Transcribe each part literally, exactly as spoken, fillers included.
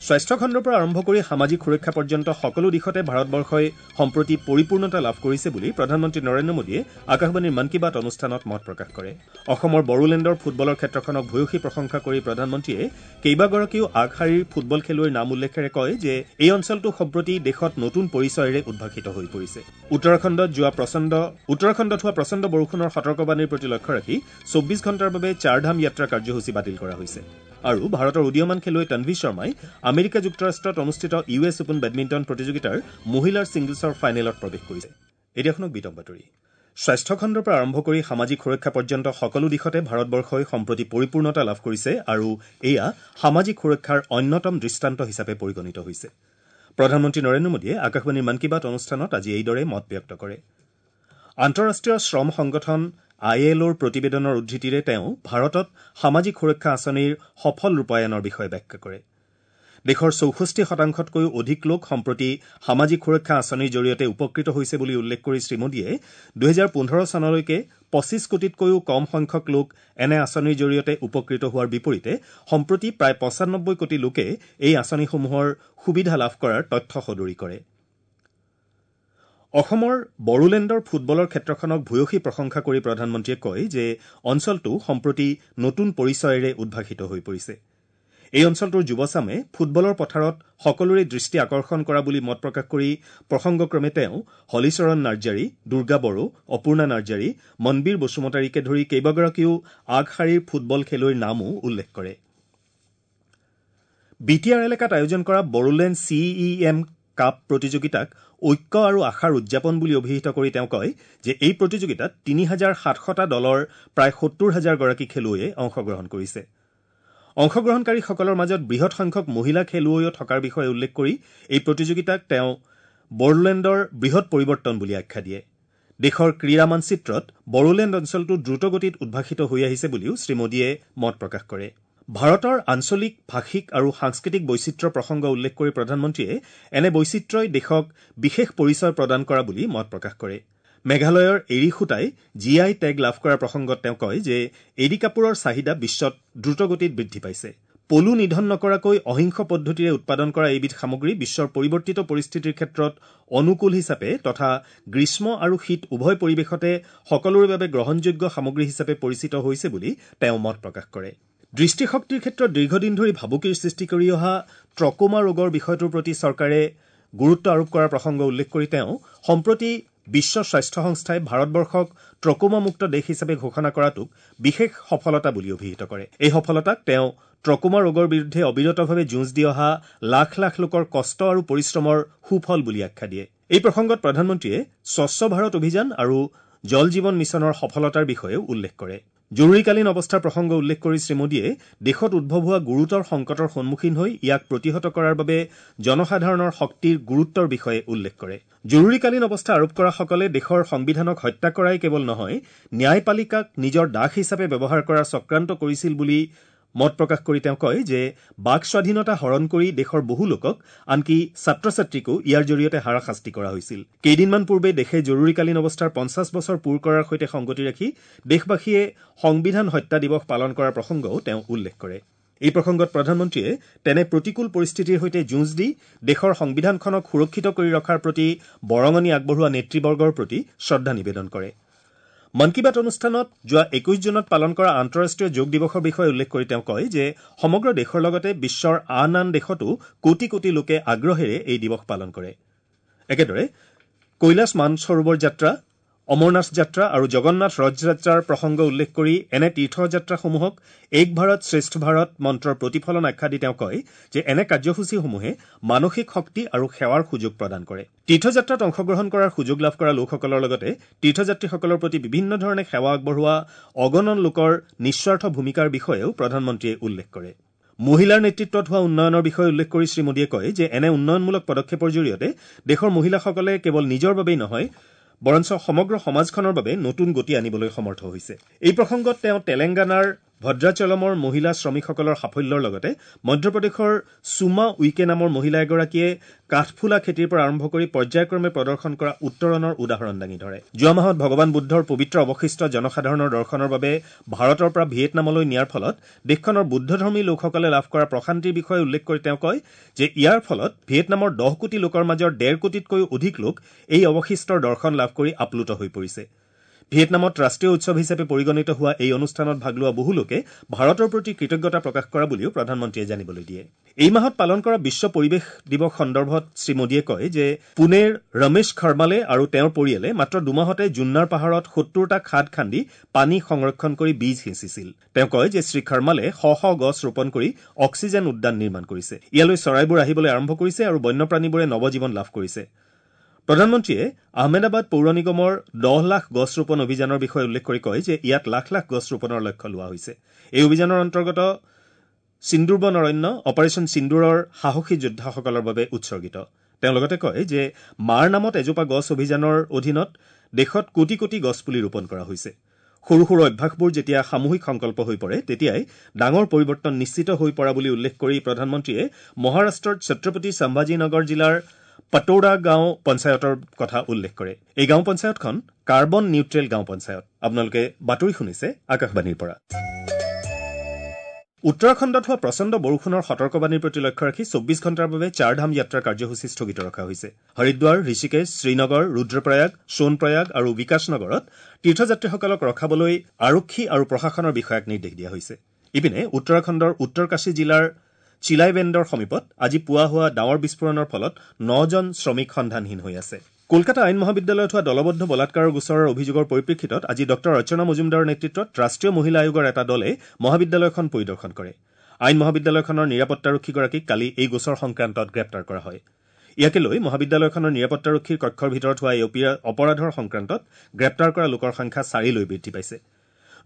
স্বাস্থ্যখণ্ডৰ পৰা আৰম্ভ কৰি সামাজিক সুৰক্ষা পৰ্যন্ত সকলো দিশতে ভাৰতবৰ্ষই সম্প্ৰতি পৰিপূৰ্ণতা লাভ কৰিছে বুলি প্ৰধানমন্ত্ৰী নৰেন্দ্ৰ মোদীয়ে আকাশবাণীৰ মন কী বাত অনুষ্ঠানত মত প্ৰকাশ কৰে। অসমৰ বড়োলেণ্ডৰ ফুটবলৰ ক্ষেত্ৰখনক ভূয়সী প্ৰশংসা কৰি প্ৰধানমন্ত্ৰীয়ে কেইবাগৰাকীও আগশাৰীৰ ফুটবল খেলুৱৈৰ নাম উল্লেখেৰে কয় যে এই অঞ্চলটো সম্প্ৰতি দেশত নতুন পৰিচয়েৰে উদ্ভাসিত হৈ পৰিছে। উত্তৰাখণ্ডত যোৱা প্ৰচণ্ড উত্তৰাখণ্ডত হোৱা প্ৰচণ্ড বৰষুণৰ সতৰ্কবাণীৰ প্ৰতি লক্ষ্য ৰাখি চৌব্বিছ ঘণ্টাৰ বাবে চাৰধাম যাত্ৰা কাৰ্যসূচী বাতিল কৰা হৈছে। আৰু ভাৰতৰ উদীয়মান খেলুৱৈ তনভি শৰ্মাই আমেৰিকা যুক্তৰাষ্ট্ৰত অনুষ্ঠিত ইউ এছ অপেন বেডমিণ্টন প্ৰতিযোগিতাৰ মহিলাৰ ছিংগলছৰ ফাইনেলত প্ৰৱেশ কৰিছে। এতিয়া শুনক বিতং বাতৰি। স্বাস্থ্যখণ্ডৰ পৰা আৰম্ভ কৰি সামাজিক সুৰক্ষা পৰ্যন্ত সকলো দিশতে ভাৰতবৰ্ষই সম্প্ৰতি পৰিপূৰ্ণতা লাভ কৰিছে আৰু এয়া সামাজিক সুৰক্ষাৰ অন্যতম দৃষ্টান্ত হিচাপে পৰিগণিত হৈছে। প্ৰধানমন্ত্ৰী নৰেন্দ্ৰ মোদীয়ে আকাশবাণীৰ মন কী বাত অনুষ্ঠানত আজি এইদৰে মত ব্যক্ত কৰে। আন্তঃৰাষ্ট্ৰীয় শ্ৰম সংগঠন I L অ'ৰ প্ৰতিবেদনৰ উদ্ধৃতিৰে তেওঁ ভাৰতত সামাজিক সুৰক্ষা আঁচনিৰ সফল ৰূপায়ণৰ বিষয়ে ব্যাখ্যা কৰে। দেশৰ চৌষষ্ঠি শতাংশতকৈও অধিক লোক সম্প্ৰতি সামাজিক সুৰক্ষা আঁচনিৰ জৰিয়তে উপকৃত হৈছে বুলি উল্লেখ কৰি শ্ৰীমোদীয়ে দুহেজাৰ পোন্ধৰ চনলৈকে পঁচিছ কোটিতকৈও কম সংখ্যক লোক এনে আঁচনিৰ জৰিয়তে উপকৃত হোৱাৰ বিপৰীতে সম্প্ৰতি প্ৰায় পঁচানব্বৈ কোটি লোকে এই আঁচনিসমূহৰ সুবিধা লাভ কৰাৰ তথ্য সদৰি কৰে। অসমৰ বড়োলেণ্ডৰ ফুটবলৰ ক্ষেত্ৰখনক ভূয়সী প্ৰশংসা কৰি প্ৰধানমন্ত্ৰীয়ে কয় যে অঞ্চলটো সম্প্ৰতি নতুন পৰিচয়েৰে উদ্ভাসিত হৈ পৰিছে। এই অঞ্চলটোৰ যুৱচামে ফুটবলৰ পথাৰত সকলোৰে দৃষ্টি আকৰ্ষণ কৰা বুলি মত প্ৰকাশ কৰি প্ৰসংগক্ৰমে তেওঁ হলিচৰণ নাৰ্জাৰী, দুৰ্গা বড়ো, অপূৰ্ণা নাৰ্জাৰী, মনবীৰ বসুমতাৰীকে ধৰি কেইবাগৰাকীও আগশাৰীৰ ফুটবল খেলুৱৈৰ নামো উল্লেখ কৰে। বি টি আৰ এলেকাত আয়োজন কৰা Bodoland C E M cup প্ৰতিযোগিতাক ঐক্য আৰু আশাৰ উদযাপন বুলি অভিহিত কৰি তেওঁ কয় যে এই প্ৰতিযোগিতাত তিনি হাজাৰ সাতশটা দলৰ প্ৰায় সত্তৰ হাজাৰগৰাকী খেলুৱৈয়ে অংশগ্ৰহণ কৰিছে। অংশগ্ৰহণকাৰীসকলৰ মাজত বৃহৎ সংখ্যক মহিলা খেলুৱৈও থকাৰ বিষয়ে উল্লেখ কৰি এই প্ৰতিযোগিতাক তেওঁ বড়োলেণ্ডৰ বৃহৎ পৰিৱৰ্তন বুলি আখ্যা দিয়ে। দেশৰ ক্ৰীড়া মানচিত্ৰত বড়োলেণ্ড অঞ্চলটো দ্ৰুতগতিত উদ্ভাসিত হৈ আহিছে বুলিও শ্ৰীমোদীয়ে মত প্ৰকাশ কৰে। ভাৰতৰ আঞ্চলিক, ভাষিক আৰু সাংস্কৃতিক বৈচিত্ৰ্যৰ প্ৰসংগ উল্লেখ কৰি প্ৰধানমন্ত্ৰীয়ে এনে বৈচিত্ৰ্যই দেশক বিশেষ পৰিচয় প্ৰদান কৰা বুলি মত প্ৰকাশ কৰে। মেঘালয়ৰ এৰী সূতাই জি I tag লাভ কৰাৰ প্ৰসংগত তেওঁ কয় যে এৰী কাপোৰৰ চাহিদা বিশ্বত দ্ৰুতগতিত বৃদ্ধি পাইছে। পলু নিধন নকৰাকৈ অহিংস পদ্ধতিৰে উৎপাদন কৰা এইবিধ সামগ্ৰী বিশ্বৰ পৰিৱৰ্তিত পৰিস্থিতিৰ ক্ষেত্ৰত অনুকূল হিচাপে তথা গ্ৰীষ্ম আৰু শীত উভয় পৰিৱেশতে সকলোৰে বাবে গ্ৰহণযোগ্য সামগ্ৰী হিচাপে পৰিচিত হৈছে বুলি তেওঁ মত প্ৰকাশ কৰে। দৃষ্টিশক্তিৰ ক্ষেত্ৰত দীৰ্ঘদিন ধৰি ভাবুকিৰ সৃষ্টি কৰি অহা ট্ৰকোমা ৰোগৰ বিষয়টোৰ প্ৰতি চৰকাৰে গুৰুত্ব আৰোপ কৰাৰ প্ৰসংগ উল্লেখ কৰি তেওঁ সম্প্ৰতি বিশ্ব স্বাস্থ্য সংস্থাই ভাৰতবৰ্ষক ট্ৰকোমামুক্ত দেশ হিচাপে ঘোষণা কৰাটোক বিশেষ সফলতা বুলি অভিহিত কৰে। এই সফলতাক তেওঁ ট্ৰকোমা ৰোগৰ বিৰুদ্ধে অবিৰতভাৱে যুঁজ দি অহা লাখ লাখ লোকৰ কষ্ট আৰু পৰিশ্ৰমৰ সুফল বুলি আখ্যা দিয়ে। এই প্ৰসংগত প্ৰধানমন্ত্ৰীয়ে স্বচ্ছ ভাৰত অভিযান আৰু জল জীৱন মিছনৰ সফলতাৰ বিষয়েও উল্লেখ কৰে। জৰুৰীকালীন অৱস্থাৰ প্ৰসংগ উল্লেখ কৰি শ্ৰীমোদীয়ে দেশত উদ্ভৱ হোৱা গুৰুতৰ সংকটৰ সন্মুখীন হৈ ইয়াক প্ৰতিহত কৰাৰ বাবে জনসাধাৰণৰ শক্তিৰ গুৰুত্বৰ বিষয়ে উল্লেখ কৰে। জৰুৰীকালীন অৱস্থা আৰোপ কৰাসকলে দেশৰ সংবিধানক হত্যা কৰাই কেৱল নহয়, ন্যায়পালিকাক নিজৰ দাস হিচাপে ব্যৱহাৰ কৰাৰ চক্ৰান্ত কৰিছিল বুলি মত প্ৰকাশ কৰি তেওঁ কয় যে বাক স্বাধীনতা হৰণ কৰি দেশৰ বহু লোকক, আনকি ছাত্ৰ ছাত্ৰীকো ইয়াৰ জৰিয়তে হাৰাশাস্তি কৰা হৈছিল। কেইদিনমান পূৰ্বে দেশে জৰুৰীকালীন অৱস্থাৰ পঞ্চাছ বছৰ পূৰ কৰাৰ সৈতে সংগতি ৰাখি দেশবাসীয়ে সংবিধান হত্যা দিৱস পালন কৰাৰ প্ৰসংগও তেওঁ উল্লেখ কৰে। এই প্ৰসংগত প্ৰধানমন্ত্ৰীয়ে তেনে প্ৰতিকূল পৰিস্থিতিৰ সৈতে যুঁজ দি দেশৰ সংবিধানখনক সুৰক্ষিত কৰি ৰখাৰ প্ৰতি বৰঙণি আগবঢ়োৱা নেতৃবৰ্গৰ প্ৰতি শ্ৰদ্ধা নিবেদন কৰে। মন কী বাত অনুষ্ঠানত যোৱা একৈশ জুনত পালন কৰা আন্তঃৰাষ্ট্ৰীয় যোগ দিৱসৰ বিষয়ে উল্লেখ কৰি তেওঁ কয় যে সমগ্ৰ দেশৰ লগতে বিশ্বৰ আন আন দেশতো কোটি কোটি লোকে আগ্ৰহেৰে এই দিৱস পালন কৰে। একেদৰে কৈলাশ মানসৰোবৰ যাত্ৰা, অমৰনাথ যাত্ৰা আৰু জগন্নাথ ৰথ যাত্ৰাৰ প্ৰসংগ উল্লেখ কৰি এনে তীৰ্থযাত্ৰাসমূহক এক ভাৰত শ্ৰেষ্ঠ ভাৰত মন্ত্ৰৰ প্ৰতিফলন আখ্যা দি তেওঁ কয় যে এনে কাৰ্যসূচীসমূহে মানসিক শক্তি আৰু সেৱাৰ সুযোগ প্ৰদান কৰে। তীৰ্থযাত্ৰাত অংশগ্ৰহণ কৰাৰ সুযোগ লাভ কৰা লোকসকলৰ লগতে তীৰ্থযাত্ৰীসকলৰ প্ৰতি বিভিন্ন ধৰণে সেৱা আগবঢ়োৱা অগণন লোকৰ নিস্বাৰ্থ ভূমিকাৰ বিষয়েও প্ৰধানমন্ত্ৰীয়ে উল্লেখ কৰে। মহিলাৰ নেতৃত্বত হোৱা উন্নয়নৰ বিষয়ে উল্লেখ কৰি শ্ৰীমোদীয়ে কয় যে এনে উন্নয়নমূলক পদক্ষেপৰ জৰিয়তে দেশৰ মহিলাসকলে কেৱল নিজৰ বাবেই নহয়, বৰঞ্চ সমগ্ৰ সমাজখনৰ বাবে নতুন গতি আনিবলৈ সমৰ্থ হৈছে। এই প্ৰসংগত তেওঁ তেলেংগানাৰ ভদ্ৰাচলমৰ মহিলা শ্ৰমিকসকলৰ সাফল্যৰ লগতে মধ্যপ্ৰদেশৰ সুমা উইকে নামৰ মহিলা এগৰাকীয়ে কাঠফুলা খেতিৰ পৰা আৰম্ভ কৰি পৰ্যায়ক্ৰমে প্ৰদৰ্শন কৰা উত্তৰণৰ উদাহৰণ দাঙি ধৰে। যোৱা মাহত ভগৱান বুদ্ধৰ পবিত্ৰ অৱশিষ্ট জনসাধাৰণৰ দৰ্শনৰ বাবে ভাৰতৰ পৰা ভিয়েটনামলৈ নিয়াৰ ফলত দেশখনৰ বুদ্ধধৰ্মী লোকসকলে লাভ কৰা প্ৰশান্তিৰ বিষয়ে উল্লেখ কৰি তেওঁ কয় যে ইয়াৰ ফলত ভিয়েটনামৰ দহ কোটি লোকৰ মাজৰ ডেৰ কোটিতকৈও অধিক লোক এই অৱশিষ্টৰ দৰ্শন লাভ কৰি আপ্লুত হৈ পৰিছে। ভিয়েটনামত ৰাষ্ট্ৰীয় উৎসৱ হিচাপে পৰিগণিত হোৱা এই অনুষ্ঠানত ভাগ লোৱা বহু লোকে ভাৰতৰ প্ৰতি কৃতজ্ঞতা প্ৰকাশ কৰা বুলিও প্ৰধানমন্ত্ৰীয়ে জানিবলৈ দিয়ে। এই মাহত পালন কৰা বিশ্ব পৰিৱেশ দিৱস সন্দৰ্ভত শ্ৰীমোদীয়ে কয় যে পুনেৰ ৰমেশ খৰ্মালে আৰু তেওঁৰ পৰিয়ালে মাত্ৰ দুমাহতে জুন্নাৰ পাহাৰত সত্তৰটা খাদ খান্দি পানী সংৰক্ষণ কৰি বীজ সিঁচিছিল। তেওঁ কয় যে শ্ৰীখৰ্মালে শ শ গছ ৰোপণ কৰি অক্সিজেন উদ্যান নিৰ্মাণ কৰিছে। ইয়ালৈ চৰাইবোৰ আহিবলৈ আৰম্ভ কৰিছে আৰু বন্যপ্ৰাণীবোৰে নৱজীৱন লাভ কৰিছে। প্ৰধানমন্ত্ৰীয়ে আহমেদাবাদ পৌৰ নিগমৰ দহ লাখ গছ ৰোপণ অভিযানৰ বিষয়ে উল্লেখ কৰি কয় যে ইয়াত লাখ লাখ গছ ৰোপণৰ লক্ষ্য লোৱা হৈছে। এই অভিযানৰ অন্তৰ্গত সিন্দুৰবন অৰণ্য অপাৰেশ্যন সিন্দুৰৰ সাহসী যোদ্ধাসকলৰ বাবে উৎসৰ্গিত। তেওঁ লগতে কয় যে মাৰ নামত এজোপা গছ অভিযানৰ অধীনত দেশত কোটি কোটি গছপুলি ৰোপণ কৰা হৈছে। সৰু সৰু অভ্যাসবোৰ যেতিয়া সামূহিক সংকল্প হৈ পৰে তেতিয়াই ডাঙৰ পৰিৱৰ্তন নিশ্চিত হৈ পৰা বুলি উল্লেখ কৰি প্ৰধানমন্ত্ৰীয়ে মহাৰাষ্ট্ৰৰ ছত্ৰপতি সম্ভাজীনগৰ জিলাৰ পটোৰা গাঁও পঞ্চায়তৰ কথা উল্লেখ কৰে। এই গাঁও পঞ্চায়তখন কাৰ্বন নিউট্ৰেল গাঁও পঞ্চায়ত। আপোনালোকে বাতৰি শুনিছে আকাশবাণীৰ পৰা। উত্তৰাখণ্ডত হোৱা প্ৰচণ্ড বৰষুণৰ সতৰ্কবাণীৰ প্ৰতি লক্ষ্য ৰাখি চৌব্বিছ ঘণ্টাৰ বাবে চাৰধাম যাত্ৰা কাৰ্যসূচী স্থগিত ৰখা হৈছে। হৰিদ্বাৰ, ঋষিকেশ, শ্ৰীনগৰ, ৰুদ্ৰপ্ৰয়াগ, সোণপ্ৰয়াগ আৰু বিকাশনগৰত তীৰ্থযাত্ৰীসকলক ৰখাবলৈ আৰক্ষী আৰু প্ৰশাসনৰ বিষয়াক নিৰ্দেশ দিয়া হৈছে। ইপিনে উত্তৰাখণ্ডৰ উত্তৰকাশী জিলাৰ চিলাইবেণ্ডৰ সমীপত আজি পুৱা হোৱা ডাৱৰ বিস্ফোৰণৰ ফলত নজন শ্ৰমিক সন্ধানহীন হৈ আছে। কলকাতা আইন মহাবিদ্যালয়ত হোৱা দলবদ্ধ বলাৎকাৰৰ গোচৰৰ অভিযোগৰ পৰিপ্ৰেক্ষিতত আজি ডঃ অৰ্চনা মজুমদাৰৰ নেতৃত্বত ৰাষ্ট্ৰীয় মহিলা আয়োগৰ এটা দলে মহাবিদ্যালয়খন পৰিদৰ্শন কৰে। আইন মহাবিদ্যালয়খনৰ নিৰাপত্তাৰক্ষীগৰাকীক কালি এই গোচৰ সংক্ৰান্তত গ্ৰেপ্তাৰ কৰা হয়। ইয়াকে লৈ মহাবিদ্যালয়খনৰ নিৰাপত্তাৰক্ষীৰ কক্ষৰ ভিতৰত হোৱা এই অপৰাধৰ সংক্ৰান্তত গ্ৰেপ্তাৰ কৰা লোকৰ সংখ্যা চাৰিলৈ বৃদ্ধি পাইছে।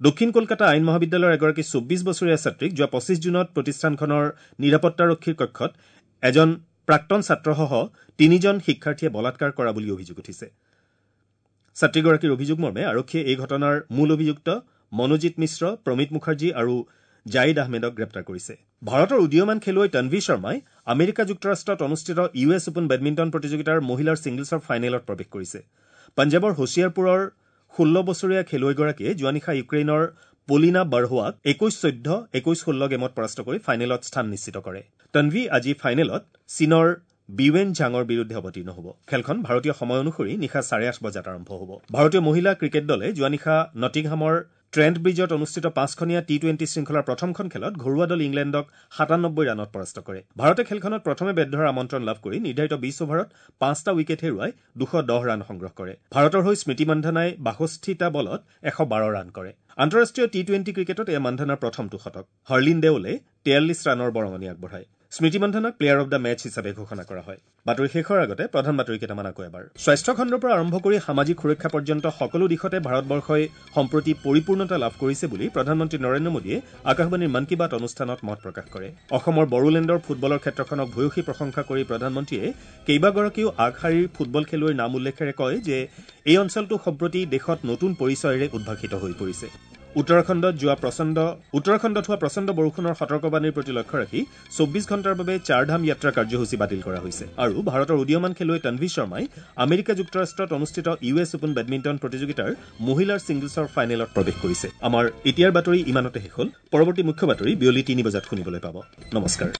দক্ষিণ কলকাতা আইন মহাবিদ্যালয়ৰ এগৰাকী চৌব্বিছ বছৰীয়া ছাত্ৰীক যোৱা পঁচিছ জুনত প্ৰতিষ্ঠানখনৰ নিৰাপত্তাৰক্ষীৰ কক্ষত এজন প্ৰাক্তন ছাত্ৰসহ তিনিজন শিক্ষাৰ্থীয়ে বলাৎকাৰ কৰা বুলি অভিযোগ উঠিছে। ছাত্ৰীগৰাকীৰ অভিযোগ মৰ্মে আৰক্ষীয়ে এই ঘটনাৰ মূল অভিযুক্ত মনোজিত মিশ্ৰ, প্ৰমিত মুখাৰ্জী আৰু জাইদ আহমেদক গ্ৰেপ্তাৰ কৰিছে। ভাৰতৰ উদীয়মান খেলুৱৈ তনভি শৰ্মাই আমেৰিকা যুক্তৰাষ্ট্ৰত অনুষ্ঠিত ইউ এছ অপেন বেডমিণ্টন প্ৰতিযোগিতাৰ মহিলাৰ ছিংগলছৰ ফাইনেলত প্ৰৱেশ কৰিছে। পঞ্জাৱৰ হোছিয়াৰপুৰৰ ষোল্ল বছৰীয়া খেলুৱৈগৰাকীয়ে যোৱা নিশা ইউক্ৰেইনৰ পলিনা বাৰ্হোৱাক একৈশ চৈধ্য, একৈশ ষোল্ল গেমত পৰাস্ত কৰি ফাইনেলত স্থান নিশ্চিত কৰে। তনভি আজি ফাইনেলত চীনৰ বিৱেন ঝাঙৰ বিৰুদ্ধে অৱতীৰ্ণ হ'ব। খেলখন ভাৰতীয় সময় অনুসৰি নিশা চাৰে আঠ বজাত আৰম্ভ হ'ব। ভাৰতীয় মহিলা ক্ৰিকেট দলে যোৱা নিশা নটিংহামৰ ট্ৰেণ্ট ব্ৰিজত অনুষ্ঠিত পাঁচখনীয়া টি টুৱেণ্টি শৃংখলাৰ প্ৰথমখন খেলত ঘৰুৱা দল ইংলেণ্ডক সাতানব্বৈ ৰানত পৰাস্ত কৰে। ভাৰতে খেলখনত প্ৰথমে বেট ধৰাৰ আমন্ত্ৰণ লাভ কৰি নিৰ্ধাৰিত বিছ অভাৰত পাঁচটা উইকেট হেৰুৱাই দুশ দহ ৰান সংগ্ৰহ কৰে। ভাৰতৰ হৈ স্মৃতি মন্ধনাই বাষষ্ঠিটা বলত এশ বাৰ ৰান কৰে। আন্তঃৰাষ্ট্ৰীয় টি টুৱেণ্টি ক্ৰিকেটত এয়া মন্ধনাৰ প্ৰথমটো শতক। হৰলিন দেওলে তেয়াল্লিছ ৰানৰ বৰঙণি আগবঢ়ায়। স্মৃতি মন্ধনাক প্লেয়াৰ অব the match হিচাপে ঘোষণা কৰা হয়। বাতৰি শেষৰ আগতে প্ৰধান বাতৰি কেইটামান আকৌ এবাৰ। স্বাস্থ্যখণ্ডৰ পৰা আৰম্ভ কৰি সামাজিক সুৰক্ষা পৰ্যন্ত সকলো দিশতে ভাৰতবৰ্ষই সম্প্ৰতি পৰিপূৰ্ণতা লাভ কৰিছে বুলি প্ৰধানমন্ত্ৰী নৰেন্দ্ৰ মোদীয়ে আকাশবাণীৰ মন কী বাত অনুষ্ঠানত মত প্ৰকাশ কৰে। অসমৰ বড়োলেণ্ডৰ ফুটবলৰ ক্ষেত্ৰখনক ভূয়সী প্ৰশংসা কৰি প্ৰধানমন্ত্ৰীয়ে কেইবাগৰাকীও আগশাৰীৰ ফুটবল খেলুৱৈৰ নাম উল্লেখেৰে কয় যে এই অঞ্চলটো সম্প্ৰতি দেশত নতুন পৰিচয়েৰে উদ্ভাসিত হৈ পৰিছে। উত্তৰাখণ্ডত যোৱা প্ৰচণ্ড উত্তৰাখণ্ডত হোৱা প্ৰচণ্ড বৰষুণৰ সতৰ্কবাণীৰ প্ৰতি লক্ষ্য ৰাখি চৌব্বিছ ঘণ্টাৰ বাবে চাৰধাম যাত্ৰা কাৰ্যসূচী বাতিল কৰা হৈছে। আৰু ভাৰতৰ উদীয়মান খেলুৱৈ তনভি শৰ্মাই আমেৰিকা যুক্তৰাষ্ট্ৰত অনুষ্ঠিত ইউ এছ অপেন বেডমিণ্টন প্ৰতিযোগিতাৰ মহিলাৰ ছিংগলছৰ ফাইনেলত প্ৰৱেশ কৰিছে। আমাৰ এতিয়াৰ বাতৰি ইমানতে শেষ হ'ল। পৰৱৰ্তী মুখ্য বাতৰি বিয়লি তিনি বজাত শুনিবলৈ পাব। নমস্কাৰ।